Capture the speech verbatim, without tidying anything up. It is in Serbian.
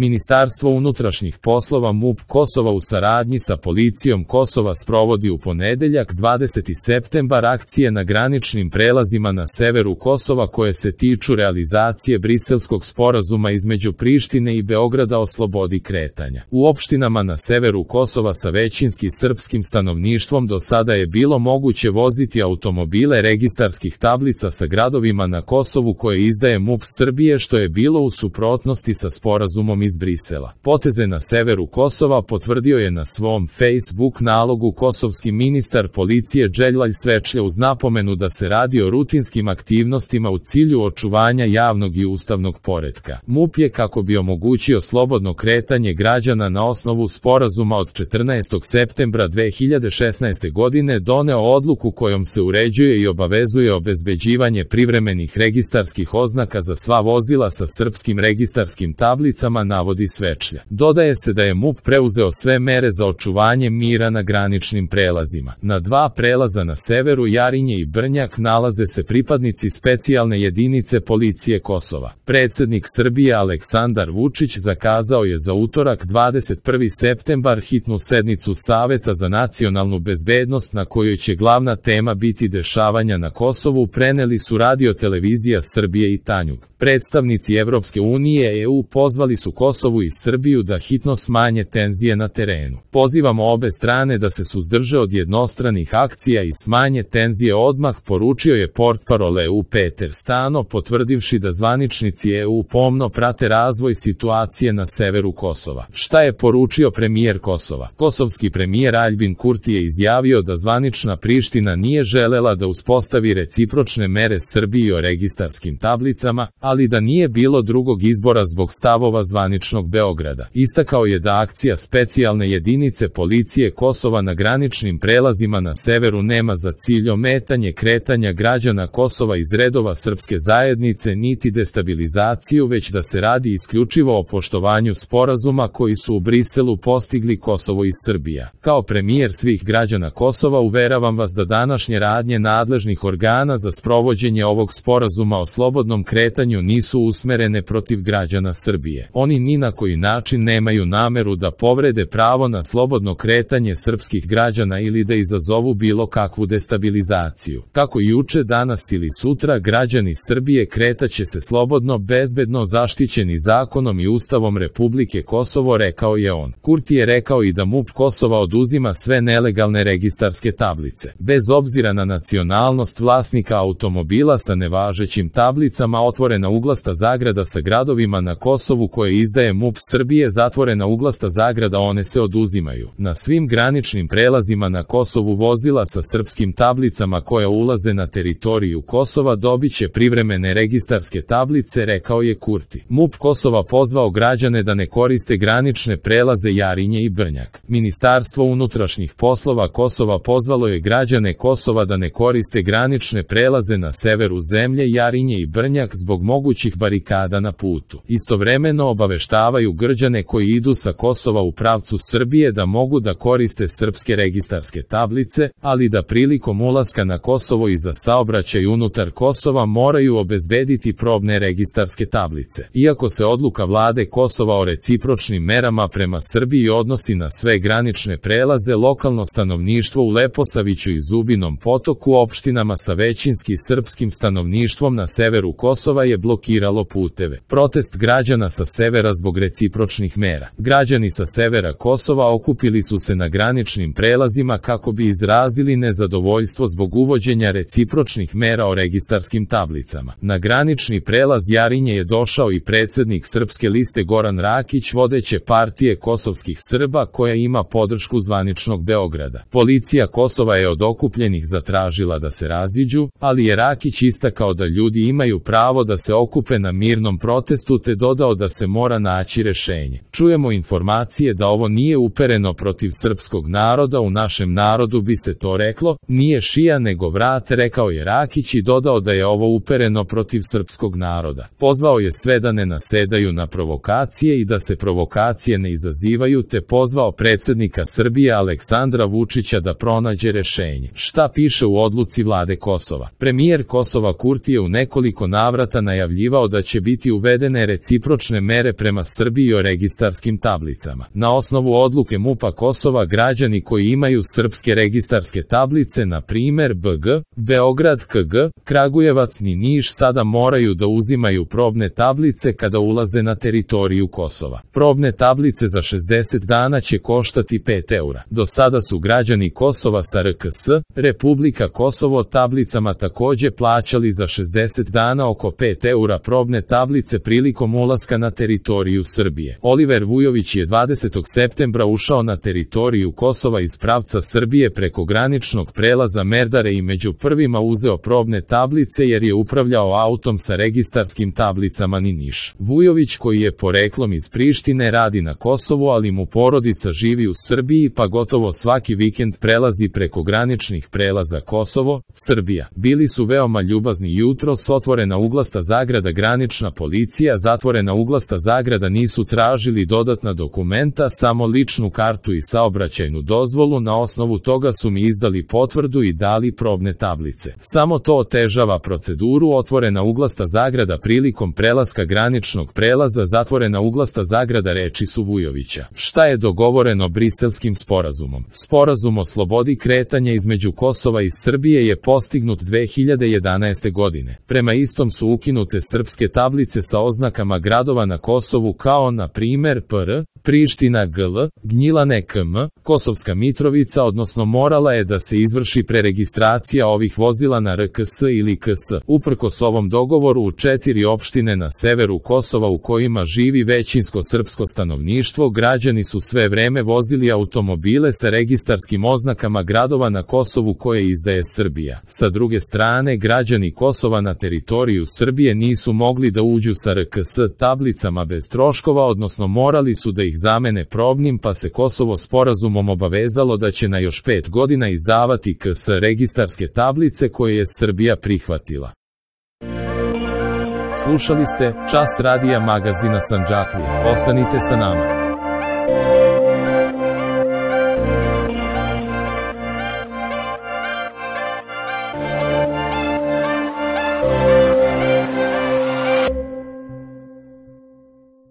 Ministarstvo unutrašnjih poslova MUP Kosova u saradnji sa policijom Kosova sprovodi u ponedeljak dvadeseti septembar akcije na graničnim prelazima na severu Kosova koje se tiču realizacije Briselskog sporazuma između Prištine i Beograda o slobodi kretanja. U opštinama na severu Kosova sa većinski srpskim stanovništvom do sada je bilo moguće voziti automobile registarskih tablica sa gradovima na Kosovu koje izdaje MUP Srbije, što je bilo u suprotnosti sa sporazumom iz Brisela. Poteze na severu Kosova potvrdio je na svom Facebook nalogu kosovski ministar policije Đeljalj Svečlja uz napomenu da se radi o rutinskim aktivnostima u cilju očuvanja javnog i ustavnog poretka. MUP je, kako bi omogućio slobodno kretanje građana na osnovu sporazuma od četrnaestog septembra dve hiljade šesnaeste. godine, doneo odluku kojom se uređuje i obavezuje obezbeđivanje privremenih registarskih oznaka za sva vozila sa srpskim registarskim tablicama, navodi Svečlja. Dodaje se da je MUP preuzeo sve mere za očuvanje mira na graničnim prelazima. Na dva prelaza na severu, Jarinje i Brnjak, nalaze se pripadnici specijalne jedinice policije Kosova. Predsednik Srbije Aleksandar Vučić zakazao je za utorak dvadeset prvi septembar hitnu sednicu Saveta za nacionalnu bezbednost na kojoj će glavna tema biti dešavanja na Kosovu, preneli su Radio televizija Srbije i Tanjug. Predstavnici Evropske unije E U pozvali su Kosovu i Srbiju da hitno smanje tenzije na terenu. Pozivamo obe strane da se suzdrže od jednostranih akcija i smanje tenzije odmah, poručio je portparol E U Peter Stano, potvrdivši da zvaničnici E U pomno prate razvoj situacije na severu Kosova. Šta je poručio premijer Kosova? Kosovski premijer Aljbin Kurti je izjavio da zvanična Priština nije želela da uspostavi recipročne mere Srbiji o registarskim tablicama, ali da nije bilo drugog izbora zbog stavova zvaničnog Beograda. Istakao je da akcija specijalne jedinice policije Kosova na graničnim prelazima na severu nema za cilj ometanje kretanja građana Kosova iz redova srpske zajednice niti destabilizaciju, već da se radi isključivo o poštovanju sporazuma koji su u Briselu postigli Kosovo i Srbija. Kao premijer svih građana Kosova uveravam vas da današnje radnje nadležnih organa za sprovođenje ovog sporazuma o slobodnom kretanju nisu usmerene protiv građana Srbije. Oni ni na koji način nemaju nameru da povrede pravo na slobodno kretanje srpskih građana ili da izazovu bilo kakvu destabilizaciju. Kako juče, danas ili sutra, građani Srbije kretaće se slobodno, bezbedno, zaštićeni zakonom i Ustavom Republike Kosovo, rekao je on. Kurti je rekao i da MUP Kosova oduzima sve nelegalne registarske tablice. Bez obzira na nacionalnost vlasnika automobila sa nevažećim tablicama, otvorena uglasta zagrada sa gradovima na Kosovu koje izdaje MUP Srbije, zatvorena uglasta zagrada, one se oduzimaju. Na svim graničnim prelazima na Kosovu vozila sa srpskim tablicama koja ulaze na teritoriju Kosova dobiće privremene registarske tablice, rekao je Kurti. MUP Kosova pozvao građane da ne koriste granične prelaze Jarinje i Brnjak. Ministarstvo unutrašnjih poslova Kosova pozvalo je građane Kosova da ne koriste granične prelaze na severu zemlje Jarinje i Brnjak zbog mogućih barikada na putu. Istovremeno obaveštavaju građane koji idu sa Kosova u pravcu Srbije da mogu da koriste srpske registarske tablice, ali da prilikom ulaska na Kosovo i za saobraćaj unutar Kosova moraju obezbediti probne registarske tablice. Iako se odluka vlade Kosova o recipročnim merama prema Srbiji odnosi na sve granične prelaze, lokalno stanovništvo u Leposaviću i Zubinom Potoku, opštinama sa većinski srpskim stanovništvom na severu Kosova, je blokiralo puteve. Protest građana sa severa zbog recipročnih mera. Građani sa severa Kosova okupili su se na graničnim prelazima kako bi izrazili nezadovoljstvo zbog uvođenja recipročnih mera o registarskim tablicama. Na granični prelaz Jarinje je došao i predsednik Srpske liste Goran Rakić, vodeće partije kosovskih Srba koja ima podršku zvaničnog Beograda. Policija Kosova je od okupljenih zatražila da se raziđu, ali je Rakić istakao da ljudi imaju pravo da se okupe na mirnom protestu, te dodao da se mora naći rešenje. Čujemo informacije da ovo nije upereno protiv srpskog naroda, u našem narodu bi se to reklo, nije šija nego vrat, rekao je Rakić i dodao da je ovo upereno protiv srpskog naroda. Pozvao je sve da ne nasedaju na provokacije i da se provokacije ne izazivaju, te pozvao predsednika Srbije Aleksandra Vučića da pronađe rešenje. Šta piše u odluci vlade Kosova? Premijer Kosova Kurti je u nekoliko navrata najavio najavljivao da će biti uvedene recipročne mere prema Srbiji o registarskim tablicama. Na osnovu odluke MUP-a Kosova građani koji imaju srpske registarske tablice, na primer B G, Beograd K G, Kragujevac ni Niš, sada moraju da uzimaju probne tablice kada ulaze na teritoriju Kosova. Probne tablice za šezdeset dana će koštati pet eura. Do sada su građani Kosova sa R K S, Republika Kosovo, tablicama takođe plaćali za šezdeset dana oko pet eura probne tablice prilikom ulaska na teritoriju Srbije. Oliver Vujović je dvadesetog septembra ušao na teritoriju Kosova iz pravca Srbije preko graničnog prelaza Merdare i među prvima uzeo probne tablice jer je upravljao autom sa registarskim tablicama ni Niš. Vujović, koji je poreklom iz Prištine, radi na Kosovu, ali mu porodica živi u Srbiji pa gotovo svaki vikend prelazi preko graničnih prelaza Kosovo, Srbija. Bili su veoma ljubazni jutros, otvorena uglasta zagrada granična policija, zatvorena uglasta zagrada, nisu tražili dodatna dokumenta, samo ličnu kartu i saobraćajnu dozvolu, na osnovu toga su mi izdali potvrdu i dali probne tablice. Samo to otežava proceduru, otvorena uglasta zagrada prilikom prelaska graničnog prelaza, zatvorena uglasta zagrada, reči su Vujovića. Šta je dogovoreno Briselskim sporazumom? Sporazum o slobodi kretanja između Kosova i Srbije je postignut dve hiljade jedanaeste. godine. Prema istom su ukinute srpske tablice sa oznakama gradova na Kosovu kao na primer P R, Priština G L, Gnjilane K M, Kosovska Mitrovica, odnosno morala je da se izvrši preregistracija ovih vozila na R K S ili K S. Uprkos ovom dogovoru, u četiri opštine na severu Kosova u kojima živi većinsko srpsko stanovništvo, građani su sve vreme vozili automobile sa registarskim oznakama gradova na Kosovu koje izdaje Srbija. Sa druge strane, građani Kosova na teritoriju Srbije nisu mogli da uđu sa R K S tablicama bez troškova, odnosno morali su da ih zamene probnim, pa se Kosovo sporazumom obavezalo da će na još pet godina izdavati K S registarske tablice koje je Srbija prihvatila. Slušali ste Čas radija magazina Sandžaklija. Ostanite sa nama.